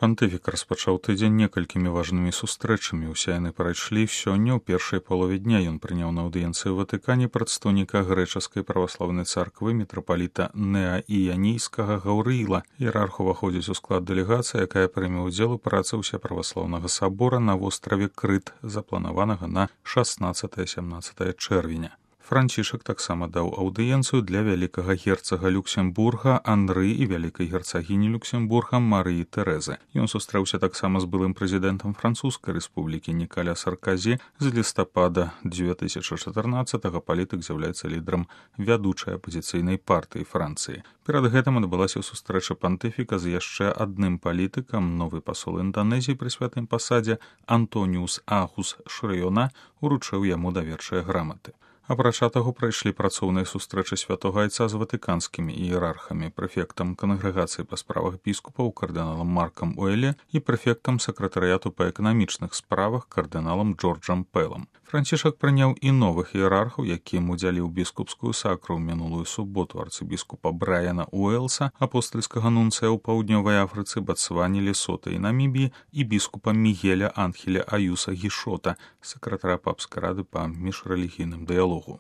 Пантыфік распачаў тыдзень некалькімі важнымі сустрэчамі. Усе яны прайшлі сёння. У першай палове дня ён прыняў на аўдыенцыі ў Ватыкане прадстаўніка грэчаскай праваслаўнай царквы мітрапаліта Неаіянійскага Гаўрыіла. Іерарх уваходзіць у склад дэлегацыі, якая прыме ўдзел у працы ўсеправаслаўнага сабора на востраве Крыт, запланаванага на 16-17 чэрвеня. Францішак таксама даў аўдыенцыю для вялікага герцага Люксембурга Андры і вялікай герцагіні Люксембурга Марыі Тэрэзы. Ён сустрэўся таксама з былым прэзідэнтам Французскай рэспублікі Нікаля Сарказі. З лістапада 2014-го палітык з'яўляецца лідарам вядучай апазіцыйнай партыі Францыі. Перад гэтым адбылася сустрэча пантыфіка з яшчэ адным палітыкам. Новы пасол Інданезіі пры святым пасадзе Антоніус Ахус Шрэёна уручыў яму даверчыя граматы. Апрача таго, прайшлі працоўныя сустрэчы святога айца з ватыканскімі іерархамі, прэфектам кангрэгацыі па справах біскупаў кардыналам Маркам Уэлле і прэфектам сакратарыяту па эканамічных справах кардыналам Джорджам Пэлам. Францішак прыняў і новых іерархаў, якім удзяліў біскупскую сакру ў минулую суботу арцыбіскупа Брайана Уэлса, апостальскага нунцыя ў паўднёвай Афрыцы, Батсване, Лесота і Намібіі, і біскупа Мігеля Анхеля Аюса Гішота, сакратара папскай рады па міжрэлігійным дыялогу.